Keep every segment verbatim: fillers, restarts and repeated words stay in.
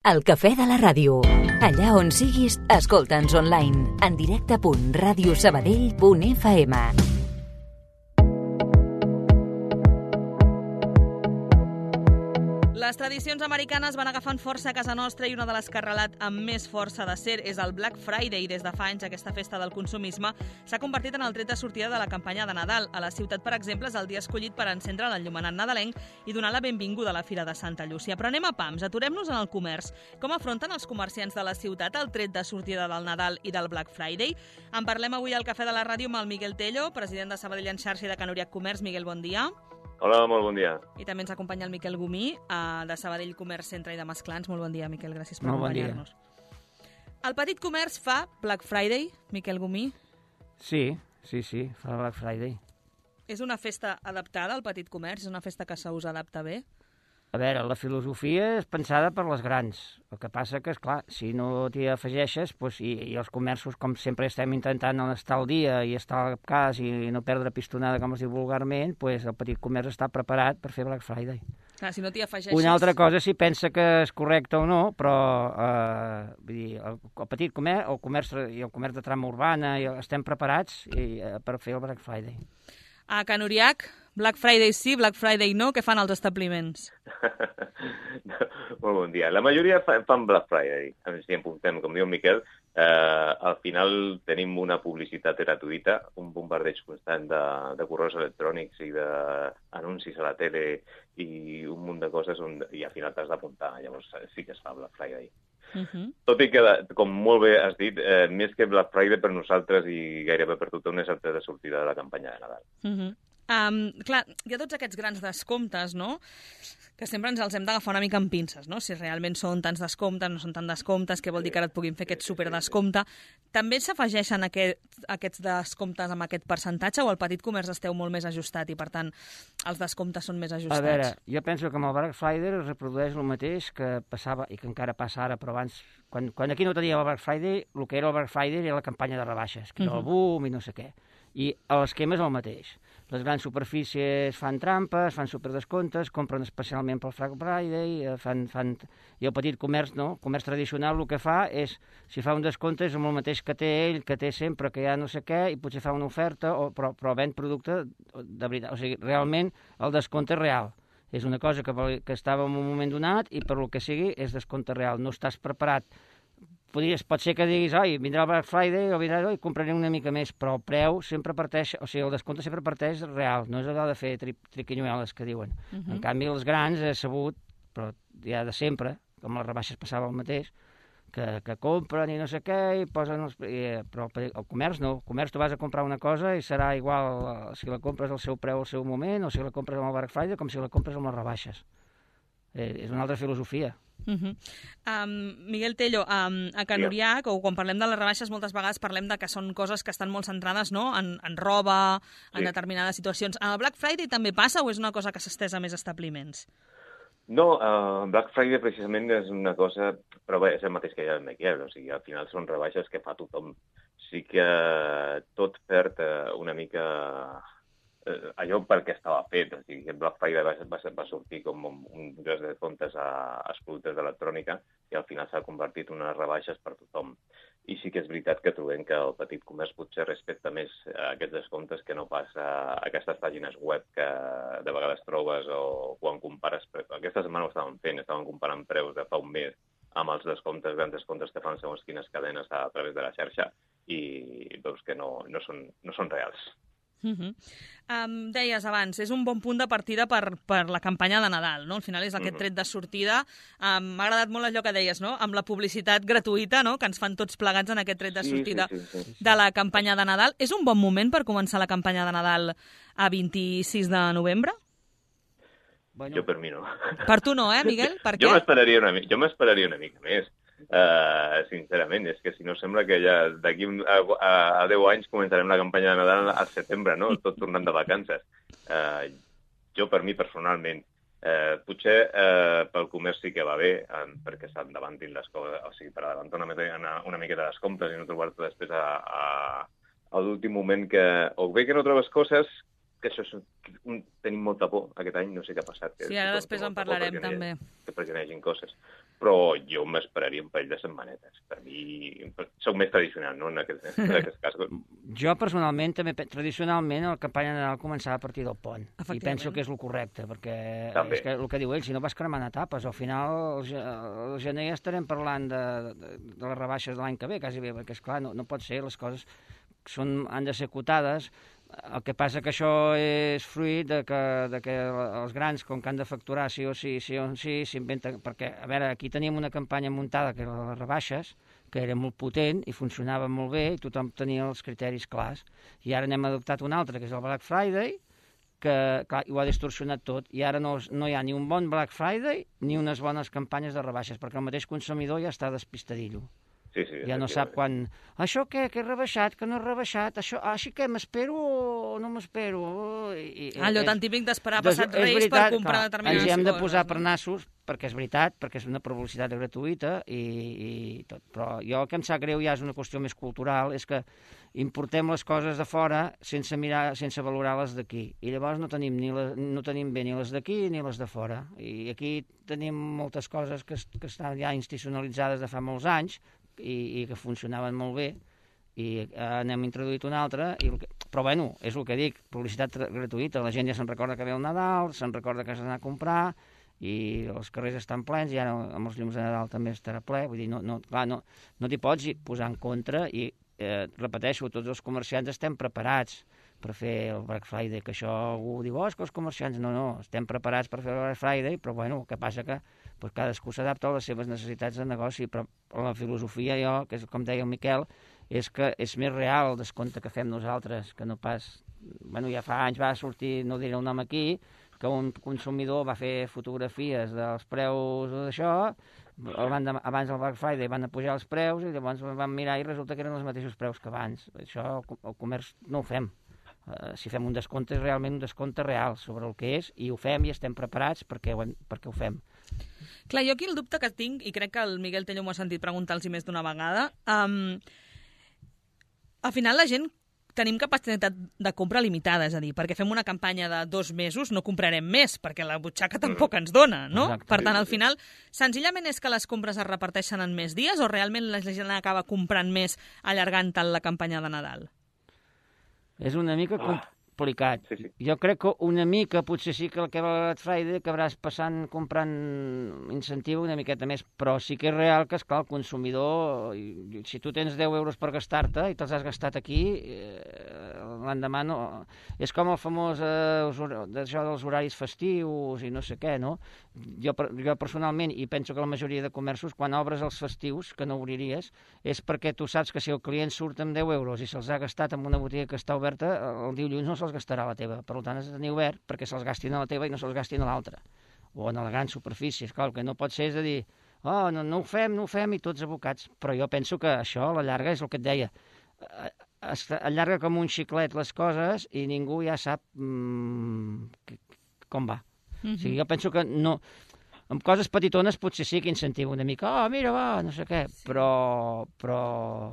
El cafè de la ràdio. Allà on siguis, escolta'ns online. En directe punt ràdio sabadell punt f m. Les tradicions americanes van agafant força a casa nostra i una de les que ha arrelat amb més força de ser és el Black Friday. Des de fa anys, aquesta festa del consumisme s'ha convertit en el tret de sortida de la campanya de Nadal. A la ciutat, per exemple, és el dia escollit per encendre l'enllumenat nadalenc i donar la benvinguda a la Fira de Santa Llúcia. Però anem a pams, aturem-nos en el comerç. Com afronten els comerciants de la ciutat el tret de sortida del Nadal i del Black Friday? En parlem avui al Cafè de la Ràdio amb el Miguel Tello, president de Sabadell en xarxa i de Can Uriach Comerç. Miguel, bon dia. Hola, molt bon dia. I també ens acompanya el Miquel Gomí, uh, de Sabadell Comerç Centre i de Masclans. Molt bon dia, Miquel, gràcies per Molt bon acompanyar-nos. El petit comerç fa Black Friday, Miquel Gomí? Sí, sí, sí, fa Black Friday. És una festa adaptada al petit comerç? És una festa que se us adapta bé? A veure, la filosofia és pensada per les grans. El que passa que, esclar, si no t'hi afegeixes, doncs, i, i els comerços, com sempre estem intentant estar al dia i estar al cas i no perdre pistonada, com es diu vulgarment, doncs el petit comerç està preparat per fer Black Friday. Clar, si no t'hi afegeixes... Una altra cosa, si pensa que és correcte o no, però eh, vull dir, el, el petit comerç, el comerç i el comerç de trama urbana i estem preparats i, eh, per fer el Black Friday. A Can Uriach, Black Friday sí, Black Friday no, què fan els establiments? Molt bon dia. La majoria fan Black Friday. Si em puntem, com diu en Miquel, eh, al final tenim una publicitat gratuïta, un bombardeig constant de, de correus electrònics i d'anuncis a la tele i un munt de coses on, i al final t'has d'apuntar. Llavors sí que es fa Black Friday. Uh -huh. Tot i que, com molt bé has dit, eh, més que Black Friday per nosaltres i gairebé per tothom és el tret de sortida de la campanya de Nadal. Uh -huh. Um, clar, hi ha tots aquests grans descomptes, no?, que sempre ens els hem d'agafar una mica amb pinces, no?, si realment són tants descomptes, no són tants descomptes, què vol dir que ara et puguin fer aquest superdescompte. També s'afegeixen aquest, aquests descomptes amb aquest percentatge o el petit comerç esteu molt més ajustat i, per tant, els descomptes són més ajustats? A veure, jo penso que amb el Black Friday es reprodueix el mateix que passava i que encara passa ara, però abans, quan, quan aquí no tenia el Black Friday, el que era el Black Friday era la campanya de rebaixes, que era el boom i no sé què. I l'esquema és el mateix. Les grans superfícies fan trampes, fan superdescomptes, compren especialment pel Black Friday, fan, fan... i el petit comerç, no? El comerç tradicional el que fa és, si fa un descompte, és amb el mateix que té ell, que té sempre, que ja no sé què, i potser fa una oferta, o, però, però ven producte de veritat. O sigui, realment el descompte és real. És una cosa que, que estava en un moment donat i per el que sigui és descompte real. No estàs preparat. Podries, pot ser que diguis, oi, vindrà el Black Friday o vindrà, oi, compraré una mica més, però el preu sempre parteix, o sigui, el descompte sempre parteix real, no és allò de fer tri triquinyueles que diuen. Uh -huh. En canvi, els grans he sabut, però ja de sempre, com les rebaixes passava el mateix, que, que compren i no sé què, i posen els... I, però el, el comerç no, el comerç tu vas a comprar una cosa i serà igual si la compres al seu preu al seu moment, o si la compres amb el Black Friday, com si la compres amb les rebaixes. Eh, és una altra filosofia. Uh -huh. um, Miguel Tello, um, a Can Uriach, o quan parlem de les rebaixes, moltes vegades parlem de que són coses que estan molt centrades, no?, en, en roba, en sí. determinades situacions. En el Black Friday també passa o és una cosa que s'estès a més establiments? No, uh, Black Friday precisament és una cosa, però bé, és el mateix que ja el Miquel, o sigui, al final són rebaixes que fa tothom. Sí que tot perd una mica... allò per què estava fet. O sigui, el Black Friday va, va, va sortir com un gros de comptes als productes d'electrònica i al final s'ha convertit en unes rebaixes per tothom. I sí que és veritat que trobem que el petit comerç potser respecta més aquests descomptes que no pas a aquestes pàgines web que de vegades trobes o quan compares... Aquesta setmana ho estaven fent, estaven comparant preus de fa un mes amb els descomptes, grans descomptes que fan segons quines cadenes a través de la xarxa i veus que no, no, són, no són reals. Uh -huh. um, deies abans, és un bon punt de partida per, per la campanya de Nadal, no? Al final és aquest tret de sortida. Um, M'ha agradat molt allò que deies, no?, amb la publicitat gratuïta, no?, que ens fan tots plegats en aquest tret de sortida sí, sí, sí, sí. de la campanya de Nadal. És un bon moment per començar la campanya de Nadal a vint-i-sis de novembre? Bueno. Jo per mi no. Per tu no, eh, Miguel? Per jo què? m'esperaria una, jo m'esperaria una mica més. Uh, sincerament, és que si no sembla que ja d'aquí a, a deu anys començarem la campanya de Nadal al setembre, no?, tot tornant de vacances. Uh, jo, per mi, personalment, uh, potser uh, pel comerç sí que va bé, um, perquè s'endavantin les coses, o sigui, per adelantar una, una, una miqueta les compres i no trobar-te després a, a, a l'últim moment que... O bé que no trobes coses, que això és... Tenim molta por aquest any, no sé què ha passat. Que sí, ara després en parlarem, perquè també. Que perquè no hi hagin coses. però jo m'esperaria un parell de setmanetes. Per mi, soc més tradicional, no?, en aquest, en aquest cas. Jo, personalment, també, tradicionalment, la campanya de Nadal començava a partir del pont. I penso que és el correcte, perquè també. És que el que diu ell, si no vas cremant etapes, al final, al gener estarem parlant de, de, de les rebaixes de l'any que ve, quasi bé, perquè, esclar, no, no pot ser, les coses són, han de ser acotades. El que passa que això és fruit de que, de que els grans, com que han de facturar sí o sí, sí o sí, s'inventen... Perquè, a veure, aquí teníem una campanya muntada, que era les rebaixes, que era molt potent i funcionava molt bé, i tothom tenia els criteris clars. I ara n'hem adoptat una altra, que és el Black Friday, que, clar, ho ha distorsionat tot. I ara no, no hi ha ni un bon Black Friday ni unes bones campanyes de rebaixes, perquè el mateix consumidor ja està despistadillo. Sí, sí, ja no sap quan... Això què? Que he rebaixat? Que no he rebaixat? Això... Ah, així que m'espero o no m'espero? I, i, Allò tan típic d'esperar passat Reis veritat, per comprar clar, determinades coses. Ens hi hem de posar per nassos, perquè és veritat, perquè és una publicitat gratuïta i, i tot. Però jo el que em sap greu ja és una qüestió més cultural, és que importem les coses de fora sense mirar, sense valorar les d'aquí. I llavors no tenim, ni la, no tenim bé ni les d'aquí ni les de fora. I aquí tenim moltes coses que, que estan ja institucionalitzades de fa molts anys, I, i que funcionaven molt bé, i eh, n'hem introduït una altra, i que... però bueno, és el que dic, publicitat gratuïta, la gent ja se'n recorda que ve el Nadal, se'n recorda que s'ha d'anar a comprar, i els carrers estan plens, i ara amb els llums de Nadal també estarà ple, vull dir, no, no, clar, no, no t'hi pots posar en contra, i eh, repeteixo, tots els comerciants estem preparats per fer el Black Friday, que això algú diu, oh, és que els comerciants, no, no, estem preparats per fer el Black Friday, però bueno, el que passa que pues, cadascú s'adapta a les seves necessitats de negoci, però la filosofia, jo, que és com deia el Miquel, és que és més real el descompte que fem nosaltres, que no pas... Bueno, ja fa anys va sortir, no diré el nom aquí, que un consumidor va fer fotografies dels preus d'això, abans del Black Friday van pujar els preus i llavors van mirar i resulta que eren els mateixos preus que abans. Això el comerç no ho fem. Uh, si fem un descompte és realment un descompte real sobre el que és, i ho fem i estem preparats perquè ho, hem, perquè ho fem. Clar, jo aquí el dubte que tinc, i crec que el Miguel Tello m'ho ha sentit preguntar-los més d'una vegada, um, al final la gent tenim capacitat de compra limitada, és a dir, perquè fem una campanya de dos mesos no comprarem més, perquè la butxaca tampoc ens dona, no? Exacte. Per tant, al final, senzillament és que les compres es reparteixen en més dies o realment la gent acaba comprant més allargant tant la campanya de Nadal? És una mica complicat. Sí, sí. Jo crec que una mica, potser sí que el que va a Black Friday acabaràs passant, comprant incentiu una miqueta més, però sí que és real que, esclar, el consumidor, si tu tens deu euros per gastar-te i te'ls has gastat aquí, eh, l'endemà no... És com el famós eh, d'això dels horaris festius i no sé què, no? Jo, jo personalment, i penso que la majoria de comerços, quan obres els festius, que no obriries, és perquè tu saps que si el client surt amb deu euros i se'ls ha gastat en una botiga que està oberta, el dilluns no se'ls gastarà a la teva. Per tant, has de tenir obert perquè se'ls gastin a la teva i no se'ls gastin a l'altra. O en la gran superfície. Esclar, el que no pot ser és de dir oh, no, no ho fem, no ho fem, i tots abocats. Però jo penso que això, a la llarga, és el que et deia. Es allarga com un xiclet les coses i ningú ja sap mmm, com va. Mm-hmm. O sigui, jo penso que no... Amb coses petitones potser sí que incentiva una mica. Oh, mira, va, no sé què, però... però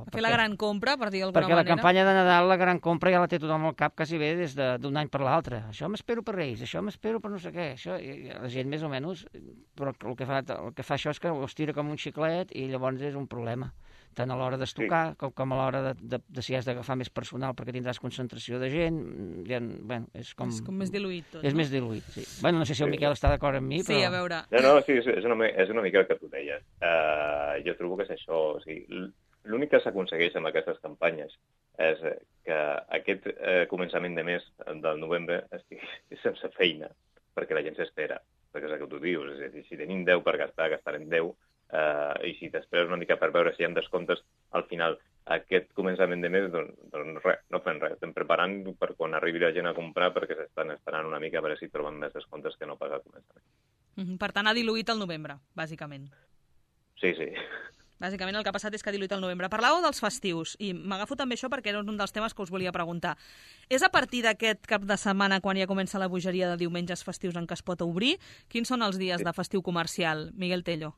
fer perquè, la gran compra, per dir d'alguna manera. Perquè la campanya de Nadal, la gran compra, ja la té tothom al cap quasi bé des d'un any per l'altre. Això m'espero per Reis, això m'espero per no sé què. Això, la gent més o menys... Però el que, fa, el que fa això és que ho estira com un xiclet i llavors és un problema. Tant a l'hora d'estocar sí. com, com a l'hora de, de, de si has d'agafar més personal perquè tindràs concentració de gent. Ja, bueno, és com... És com més diluït tot, És no? més diluït, sí. Bueno, no sé si el Miquel està d'acord amb mi, però... Sí, a veure... No, no, sí, és una, és una mica el que tu deies. Uh, jo trobo que és això. O sigui, l'únic que s'aconsegueix amb aquestes campanyes és que aquest uh, començament de mes del novembre estigui sense feina, perquè la gent s'espera. Perquè és el que tu dius. És a dir, si tenim deu per gastar, gastarem deu. Uh, i si t'esperes una mica per veure si hi ha descomptes al final aquest començament de mes, doncs, doncs res, no fem res, estem preparant per quan arribi la gent a comprar perquè s'estan esperant una mica a veure si troben més descomptes que no pas al començament. Mm-hmm. Per tant, ha diluït el novembre, bàsicament. Sí, sí. Bàsicament el que ha passat és que ha diluït el novembre. Parlàveu dels festius, i m'agafo també això perquè era un dels temes que us volia preguntar. És a partir d'aquest cap de setmana, quan ja comença la bogeria de diumenges festius en què es pot obrir? Quins són els dies sí. de festiu comercial, Miguel Tello?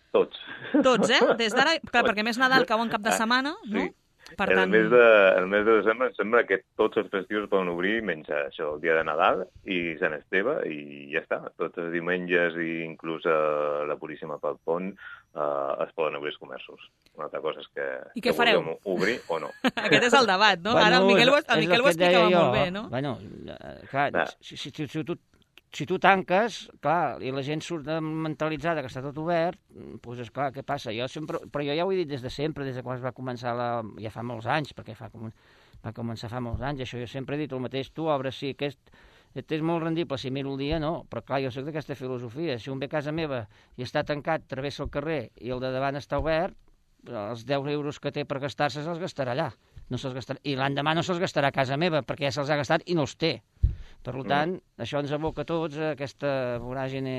Tots. Tots, eh? Des d'ara, clar, perquè més Nadal cau en cap de setmana, no? Sí. Per el, tant... mes de, el mes de desembre em sembla que tots els festius poden obrir menys això, el dia de Nadal i Sant Esteve, i ja està. Tots els diumenges i inclús uh, la Puríssima pel Pont uh, es poden obrir els comerços. Una altra cosa és que, I què que fareu? vulguem obrir o no. Aquest és el debat, no? Bueno, Ara el Miquel, ho- és- el és Miquel el ho que et deia explicava jo. molt bé, no? Bueno, eh, clar, Clar. si, si, si, si, tu, si tu tanques, clar, i la gent surt mentalitzada que està tot obert, doncs, esclar, què passa? Jo sempre, però jo ja ho he dit des de sempre, des de quan es va començar, la, ja fa molts anys, perquè fa com, va començar fa molts anys, això jo sempre he dit el mateix, tu obres, sí, aquest, és molt rendible, si miro el dia, no, però clar, jo soc d'aquesta filosofia, si un ve a casa meva i està tancat, travessa el carrer i el de davant està obert, els deu euros que té per gastar-se se'ls gastarà allà. No se'ls gastarà, i l'endemà no se'ls gastarà a casa meva, perquè ja se'ls ha gastat i no els té. Per tant, mm. això ens aboca a tots a aquesta voràgine...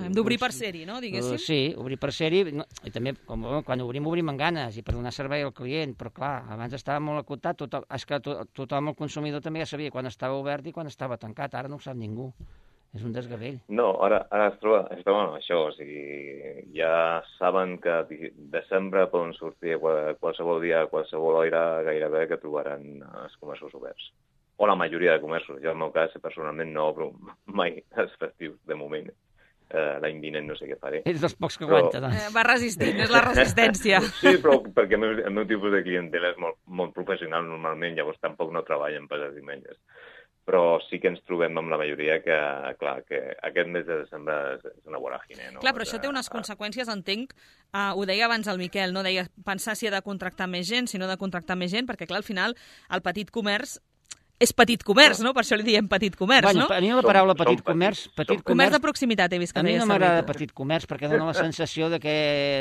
Hem d'obrir per ser-hi, no, diguéssim? Uh, sí, obrir per ser-hi, no, i també com, quan obrim, obrim amb ganes, i per donar servei al client, però clar, abans estava molt acotat, tothom, és que to, tothom, el consumidor, també ja sabia quan estava obert i quan estava tancat, ara no ho sap ningú. És un desgavell. No, ara, ara es troba, es troba amb això, o sigui, ja saben que desembre poden sortir qualsevol dia, a qualsevol hora, gairebé que trobaran els comerços oberts. O la majoria de comerços. Jo, en el meu cas, personalment, no obro mai els festius, de moment. Uh, L'any vinent no sé què faré. Ets dels pocs que però... aguanta, doncs. Eh, va resistint, és la resistència. Sí, però perquè el meu, el meu tipus de clientela és molt, molt professional normalment, llavors tampoc no treballen per els diumenges. Però sí que ens trobem amb la majoria que, clar, que aquest mes de desembre és una voràgine. No? Clar, però això té unes conseqüències, entenc, uh, ho deia abans el Miquel, no? Deia pensar si ha de contractar més gent, si no ha de contractar més gent, perquè clar, al final el petit comerç és petit comerç, no? Per això li diem petit comerç, bueno, no? A mi la paraula petit comerç... Petit comerç de proximitat, he vist que a mi deia no m'agrada servir. petit comerç perquè dona la sensació de que...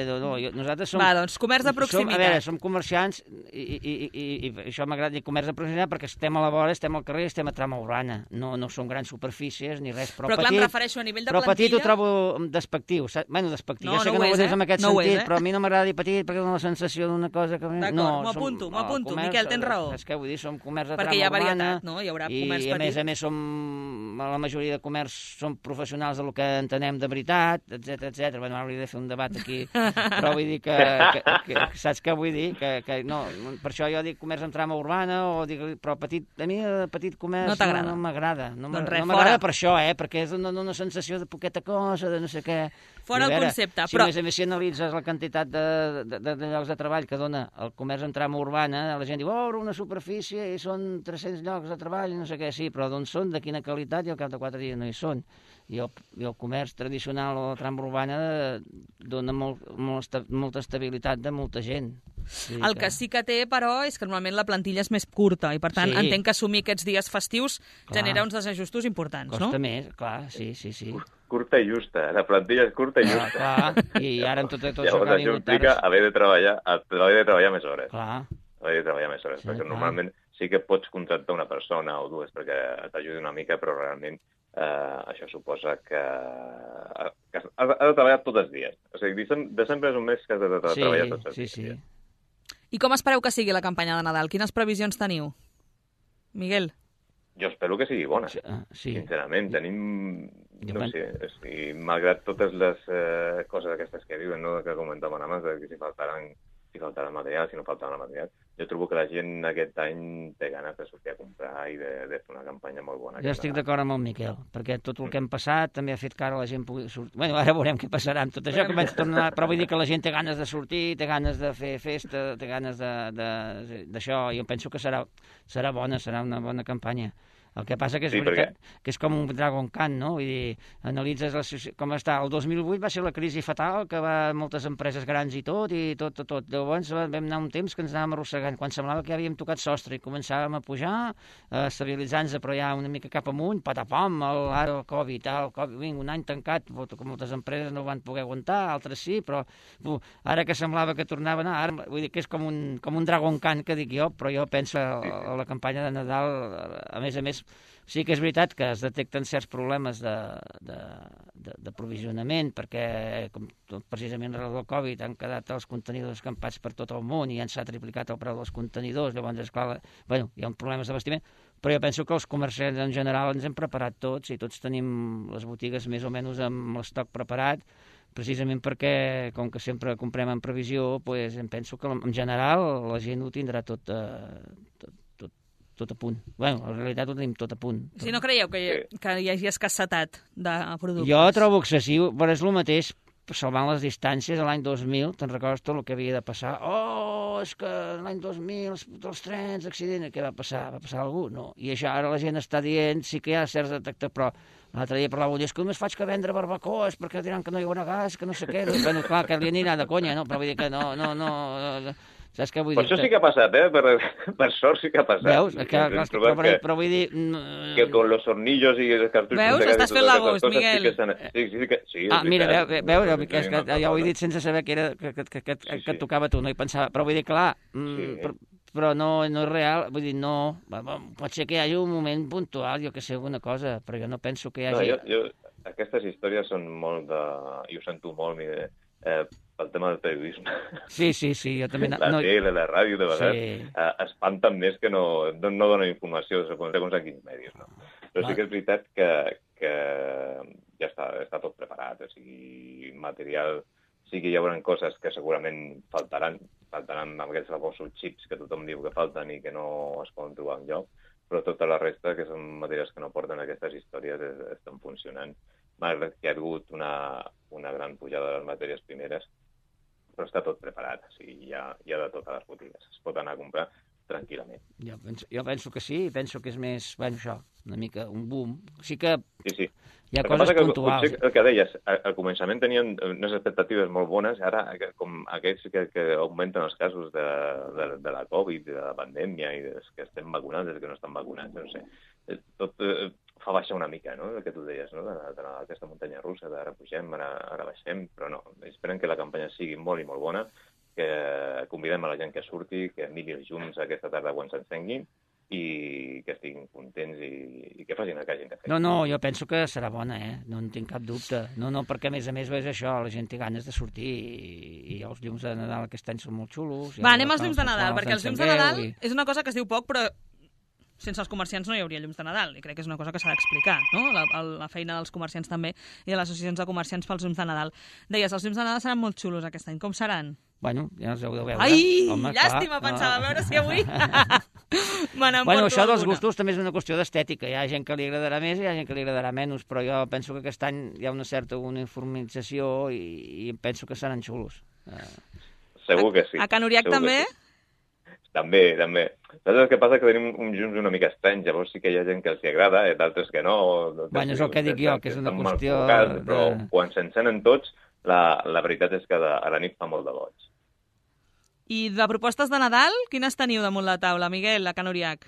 No, no, jo, nosaltres som... Va, doncs, comerç de proximitat. Som, a veure, som comerciants i, i, i, i, i això m'agrada dir comerç de proximitat perquè estem a la vora, estem al carrer, estem a trama urbana. No, no són grans superfícies ni res, però, però clar, petit... em refereixo a nivell de però plantilla... petit ho trobo despectiu. Saps? Bueno, despectiu. No, jo sé no que no ho és, és eh? en aquest No ho sentit, és, eh? però a mi no m'agrada dir petit perquè dona la sensació d'una cosa que... D'acord, no, m'ho apunto, som- m'ho apunto. el comerç, Miquel, tens raó. Saps què vull dir? Som comerç de Perquè trama hi ha urbana. varietat, no? Hi haurà I, comerç i a més petit. a més som la majoria de comerç som professionals del que entenem de veritat, etcètera, etcètera. Bueno, ara hauria de fer un debat aquí, però vull dir que, que, que, que saps què vull dir? Que, que no, per això jo dic comerç en trama urbana, o dic, però petit, a mi el petit comerç No t'agrada. no, no m'agrada. No Doncs res, no m'agrada fora. per això, eh? Perquè és una, una sensació de poqueta cosa, de no sé què. Fora I a el veure, concepte, si però- a més a més si analitzes la quantitat de, de, de, de llocs de treball que dona el comerç en trama urbana, la gent diu, oh, una superfície i són tres-cents llocs de treball i no sé què, sí, però d'on són, de quina qualitat, i al cap de quatre dies no hi són. I el, i el comerç tradicional o la trama urbana dona molt, molt, esta- molta estabilitat de molta gent. Vull dir El que sí que té, però, és que normalment la plantilla és més curta i, per tant, Sí. entenc que assumir aquests dies festius Clar. genera uns desajustos importants, no? Costa més, clar, sí, sí, sí. Curta i justa, la plantilla és curta i Clar, justa. clar, i ara amb tot, tot això Llavors que ha això vingut implica ara... haver de treballar, haver de treballar més hores. Clar, Haver de treballar més hores, Sí, perquè clar. normalment sí que pots contractar una persona o dues perquè t'ajudi una mica, però realment eh, això suposa que, que has, has de treballar tots els dies. O sigui, decem- desembre és un mes que has de, de sí, treballar tots els sí, dies. sí. I com espereu que sigui la campanya de Nadal? Quines previsions teniu? Miguel? Jo espero que sigui bona. Sí, ah, sí. Sincerament, tenim, Jo no pen- sé, o sigui, malgrat totes les eh, coses aquestes que diuen, no?, que comentaven abans, de que si faltaran, si faltarà material, si no faltarà material, jo trobo que la gent aquest any té ganes de sortir a comprar i de, de fer una campanya molt bona. Jo estic d'acord amb el Miquel, perquè tot el que hem passat també ha fet que ara la gent pugui sortir... Bueno, ara veurem què passarà amb tot això, que vaig tornar... però vull dir que la gent té ganes de sortir, té ganes de fer festa, té ganes de- de- d'això, i jo penso que serà, serà bona, serà una bona campanya. El que passa que és Sí, veritat que és com un Dragon Khan, no? Vull dir, analitzes la, soci- com està. El dos mil vuit va ser la crisi fatal, que va moltes empreses grans i tot, i tot, tot, tot. Llavors vam anar un temps que ens anàvem arrossegant, quan semblava que ja havíem tocat sostre i començàvem a pujar, a estabilitzar-nos, però ja una mica cap amunt, patapam, el, ara el Covid, el Covid, vinga, un any tancat, que moltes empreses no ho van poder aguantar, altres sí, però bu, ara que semblava que tornava a anar, ara, vull dir que és com un, com un Dragon Khan, que dic jo, però jo penso a, a la campanya de Nadal, a més a més, sí que és veritat que es detecten certs problemes de, de, de, de provisionament, perquè com tot, precisament arrel del Covid han quedat els contenidors escampats per tot el món i ja s'ha triplicat el preu dels contenidors, llavors, esclar, bueno, hi ha problemes d'abastiment, però jo penso que els comerciants en general ens hem preparat tots i tots tenim les botigues més o menys amb l'estoc preparat, precisament perquè, com que sempre comprem en previsió, pues, em penso que en general la gent ho tindrà tot, eh, tot, tot, tot a punt. Bueno, en realitat ho tenim tot a punt. Si no creieu que hi, que hi hagi escassetat de productes? Jo trobo excessiu, però és el mateix salvant les distàncies a l'any dos mil, te'n recordes tot el que havia de passar? Oh, és que l'any dos mil, els trens, accident, què va passar? Va passar algú? No. I això ara la gent està dient, sí que hi ha certs detectors, però l'altre dia parlava, és que només faig que vendre barbacoes perquè diran que no hi haurà gas, que no sé què. Bueno, clar, que li anirà de conya, no? Però vull dir que no, no, no... Saps què vull per dir? Per això sí que ha passat, eh? Per, per sort sí que ha passat. Veus? Que, clar, que, però, que, però vull dir... Que con los hornillos i els cartutxos... Veus? Estàs fent l'agost, Miguel. Sí, que sí, sí, que, sí, ah, mira, veus, veus sí, que, que, que ja ho he dit sense saber que, era, que, que, que, que, sí, sí. que et tocava tu, no hi pensava. Però vull dir, clar, sí. però, però no, no és real, vull dir, no... Pot ser que hi hagi un moment puntual, jo que sé, alguna cosa, però jo no penso que hi hagi... No, jo, jo, aquestes històries són molt de... I ho sento molt, mire, eh, pel tema del periodisme. Sí, sí, sí, jo també... La no... tele, la ràdio, de vegades, sí. eh, espanten més que no, no donen informació segons a quins medis, no? Però sí que és veritat que, que ja està, està tot preparat, o sigui, material... Sí que hi haurà coses que segurament faltaran, faltaran amb aquests famosos xips que tothom diu que falten i que no es poden trobar enlloc, però tota la resta, que són matèries que no porten aquestes històries, es, estan funcionant. Malgrat que hi ha hagut una, una gran pujada de les matèries primeres, però està tot preparat, o sigui, hi ha, hi ha de totes les botigues, es pot anar a comprar tranquil·lament. Jo penso, jo penso que sí, penso que és més, bueno, això, una mica un boom. Sí que sí, sí. hi ha el coses que puntuals. Potser el que deies, al començament tenien unes expectatives molt bones, ara com aquests que, que augmenten els casos de, de, de la Covid, de la pandèmia, i dels que estem vacunats, dels que no estan vacunats, no sé. Tot eh, fa baixar una mica, no?, el que tu deies, no?, de, de la, aquesta muntanya russa, d'ara pugem, ara, ara baixem, però no, esperen que la campanya sigui molt i molt bona, que convidem a la gent que surti, que miri els llums aquesta tarda quan s'encenguin i que estiguin contents i, i que facin el que hagin de fer. No, no, jo penso que serà bona, eh? No en tinc cap dubte. No, no, perquè a més a més és això, la gent té ganes de sortir i, i els llums de Nadal aquest any són molt xulos. Va, anem als llums de Nadal, perquè els llums de Nadal i... és una cosa que es diu poc, però sense els comerciants no hi hauria llums de Nadal, i crec que és una cosa que s'ha d'explicar, no? La, la feina dels comerciants també i de les associacions de comerciants pels llums de Nadal. Deies, els llums de Nadal seran molt xulos aquest any. Com seran? Bueno, ja els heu de veure. Ai, home, llàstima, clar, pensava, no. a veure si avui me n'emporto bueno, això dels alguna. gustos també és una qüestió d'estètica. Hi ha gent que li agradarà més i hi ha gent que li agradarà menys, però jo penso que aquest any hi ha una certa uniformització i, i penso que seran xulos. Uh... Segur que sí. A Can Uriac també? Sí. També, també. Saps el que passa? Que tenim uns llums una mica estranys, llavors sí que hi ha gent que els agrada, eh, d'altres que no. Bueno, és el que dic jo, que és una qüestió... Focats, de... Però quan s'encenen tots, la, la veritat és que de, a la nit fa molt de boig. I de propostes de Nadal, quines teniu damunt la taula, Miguel, a Can Uriac?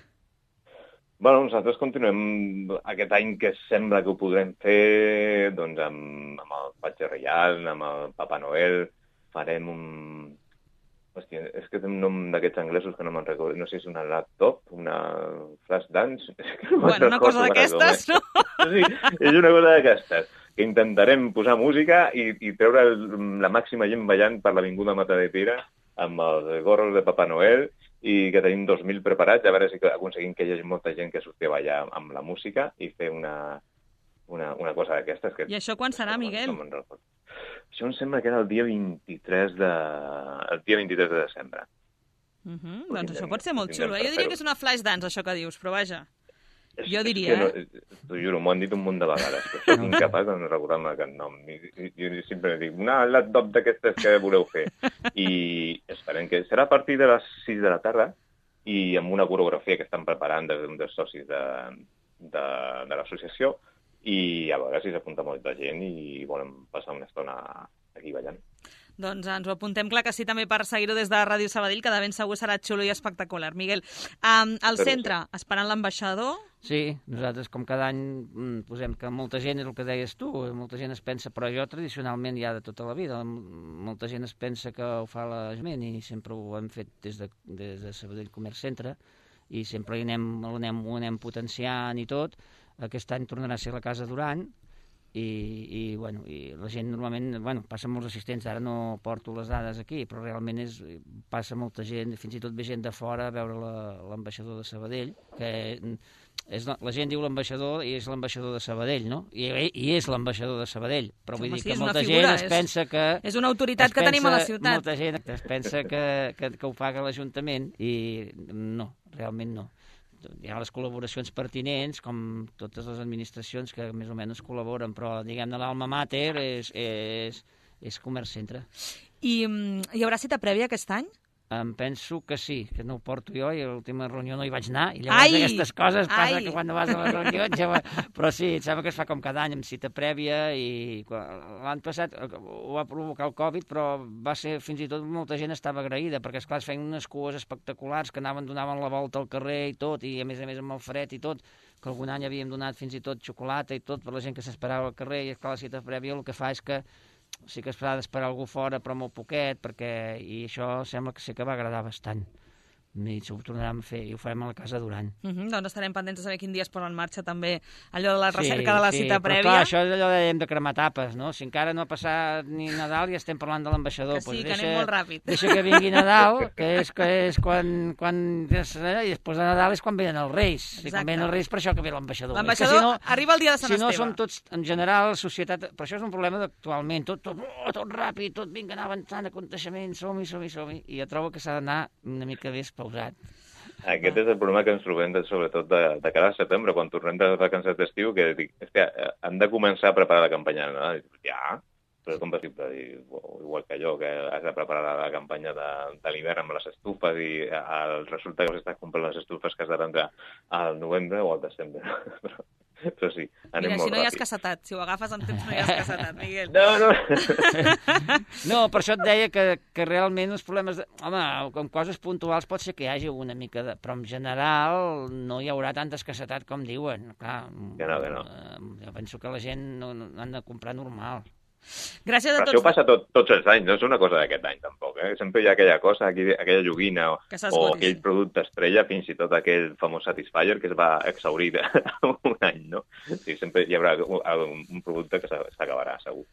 Bueno, nosaltres continuem aquest any que sembla que ho podrem fer doncs, amb, amb el Patge Reial, amb el Papa Noel, farem un... Hòstia, és que té un nom d'aquests anglesos que no me'n recordo. No sé si és una laptop, una flash dance... No bueno, una cosa d'aquestes, no? Sí, és una cosa d'aquestes. Que intentarem posar música i, i treure el, la màxima gent ballant per l'Avinguda Mata de Pere amb els gorros de Papa Noel i que tenim dos mil preparats, a veure si aconseguim que hi hagi molta gent que surti a ballar amb la música i fer una, una, una cosa d'aquestes. Que, I això quan serà, no, Miguel? No me'n recordo. Això em sembla que era el dia vint-i-tres de, el dia vint-i-tres de desembre. Uh -huh. Doncs això pot ser molt xulo. Eh? Jo diria que és una flash dance, això que dius, però vaja. És, jo diria, no, eh? T'ho juro, m'ho han dit un munt de vegades, però soc incapaç de recordar-me aquest nom. I, jo sempre dic, una laptop d'aquestes que voleu fer. I esperem que serà a partir de les sis de la tarda i amb una coreografia que estan preparant des d'un dels socis de, de, de l'associació i a veure si s'apunta molta gent i volen passar una estona aquí ballant. Doncs ens ho apuntem, clar que sí, també per seguir-ho des de Ràdio Sabadell, que de ben segur serà xulo i espectacular. Miguel, um, al centre, esperant l'ambaixador? Sí, nosaltres com cada any posem que molta gent, és el que deies tu, molta gent es pensa, però jo tradicionalment ja de tota la vida, molta gent es pensa que ho fa l'Ajuntament i sempre ho hem fet des de, des de Sabadell Comerç Centre i sempre ho anem, ho anem, ho anem potenciant i tot. Aquest any tornarà a ser la Casa Duran i, i, bueno, i la gent normalment, bueno, passen molts assistents, ara no porto les dades aquí, però realment és, passa molta gent, fins i tot ve gent de fora a veure l'ambaixador de Sabadell, que és, la gent diu l'ambaixador i és l'ambaixador de Sabadell, no? I, i és l'ambaixador de Sabadell, però vull Home, dir sí, que és una molta figura, gent es pensa que... És una autoritat que pensa, tenim a la ciutat. Molta gent es pensa que, que, que ho paga l'Ajuntament i no, realment no. Hi ha les col·laboracions pertinents, com totes les administracions que més o menys col·laboren, però, diguem-ne, l'alma mater és, és, és Comerç Centre. I hi haurà cita prèvia aquest any? Em penso que sí, que no ho porto jo i a l'última reunió no hi vaig anar, i llavors ai, aquestes coses passa ai. que quan no vas a la reunió ja va... Però sí, em sembla que es fa com cada any amb cita prèvia i l'any passat ho va provocar el Covid, però va ser fins i tot molta gent estava agraïda, perquè esclar es feien unes cues espectaculars que anaven, donaven la volta al carrer i tot, i a més a més amb el fred i tot, que algun any havíem donat fins i tot xocolata i tot per la gent que s'esperava al carrer, i esclar la cita prèvia el que fa és que sí que es fa d'esperar algú fora, però molt poquet, perquè... i això sembla que sí que va agradar bastant. I ho tornarem a fer, i ho farem a la Casa Duran. Uh -huh, doncs estarem pendents de saber quin dia es posa en marxa també allò de la recerca sí, de la sí, cita però prèvia. Clar, això és allò de, hem de cremar tapes, no? Si encara no ha passat ni Nadal ja estem parlant de l'ambaixador. Que sí, pues que deixa, anem molt ràpid. Deixa que vingui Nadal, que és, que és quan... quan i després de Nadal és quan venen els Reis. I quan venen els Reis, per això que ve l'ambaixador. L'ambaixador si no, arriba el dia de Sant si Esteve. Si no som tots, en general, societat... Però això és un problema d'actualment. Tot, tot, oh, tot ràpid, tot vinga, anar avançant, aconteixement, som-hi, som-hi, som-hi. I jo trobo que s'ha d'anar una mica més pausat. Aquest és el problema que ens trobem, de, sobretot de, de cara a setembre, quan tornem de vacances d'estiu, que dic, hòstia, hem de començar a preparar la campanya de Nadal. Ja, però és com possible, igual que allò, que has de preparar la campanya de, de l'hivern amb les estufes i el, resulta que estàs comprant les estufes que has de vendre al novembre o al desembre. però, però sí, anem Mira, molt si no hi has ràpid. cassetat, si ho agafes en temps no hi has cassetat, Miguel. No, no. No, per això et deia que, que realment els problemes... De... Home, amb coses puntuals pot ser que hi hagi una mica de... Però en general no hi haurà tanta escassetat com diuen. Clar, que no, que no. Jo penso que la gent no, no han de comprar normal. Gràcies a Però tots. això passa tot, tots els anys, no és una cosa d'aquest any tampoc. Eh? Sempre hi ha aquella cosa, aquella joguina o, o aquell producte estrella, fins i tot aquell famós Satisfyer que es va exhaurir un any, no? Sí, sempre hi haurà un, un producte que s'acabarà, segur.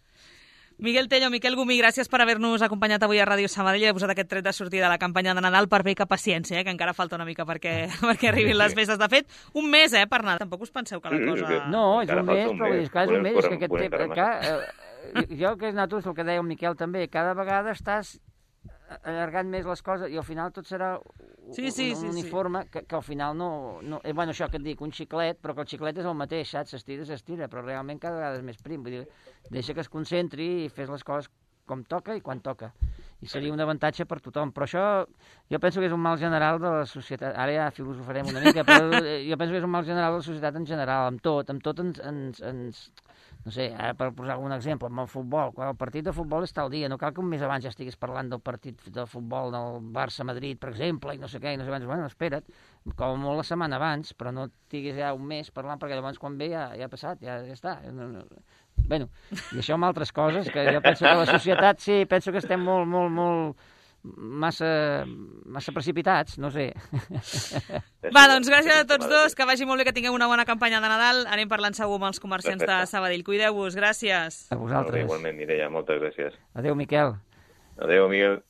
Miguel Tello, Miquel Gumí, gràcies per haver-nos acompanyat avui a Ràdio Sabadell i haver posat aquest tret de sortida de la campanya de Nadal. Per bé que paciència, eh, que encara falta una mica perquè, perquè arribin les festes. De fet, un mes, eh, per Nadal. Tampoc us penseu que la cosa... No, és un mes, però és que és un mes, és que aquest temps... Jo, que és nosaltres, el que deia el Miquel també, cada vegada estàs allargant més les coses i al final tot serà sí, sí, un, un sí, uniforme sí. Que, que al final no... no eh, bueno, això que et dic, un xiclet, però que el xiclet és el mateix, saps? S'estira, s'estira, però realment cada vegada és més prim. Vull dir, deixa que es concentri i fes les coses com toca i quan toca. I seria un avantatge per tothom. Però això jo penso que és un mal general de la societat. Ara ja filosofarem una mica, però jo penso que és un mal general de la societat en general, amb tot. Amb tot ens... ens, ens no sé, ara per posar algun exemple, amb el futbol, quan el partit de futbol està al dia, no cal que un mes abans ja estiguis parlant del partit de futbol del Barça-Madrid, per exemple, i no sé què, i no sé abans, bueno, espera't, com molt la setmana abans, però no estiguis ja un mes parlant, perquè llavors quan ve ja, ja ha passat, ja, ja està. No, no. Bueno, i això amb altres coses, que jo penso que la societat, sí, penso que estem molt, molt, molt massa, massa precipitats, no sé. Va, doncs gràcies a tots dos, que vagi molt bé, que tingueu una bona campanya de Nadal. Anem parlant segur amb els comerciants de Sabadell. Cuideu-vos, gràcies. A vosaltres. Igualment, Mireia, moltes gràcies. Adéu, Miquel. Adéu, Miguel.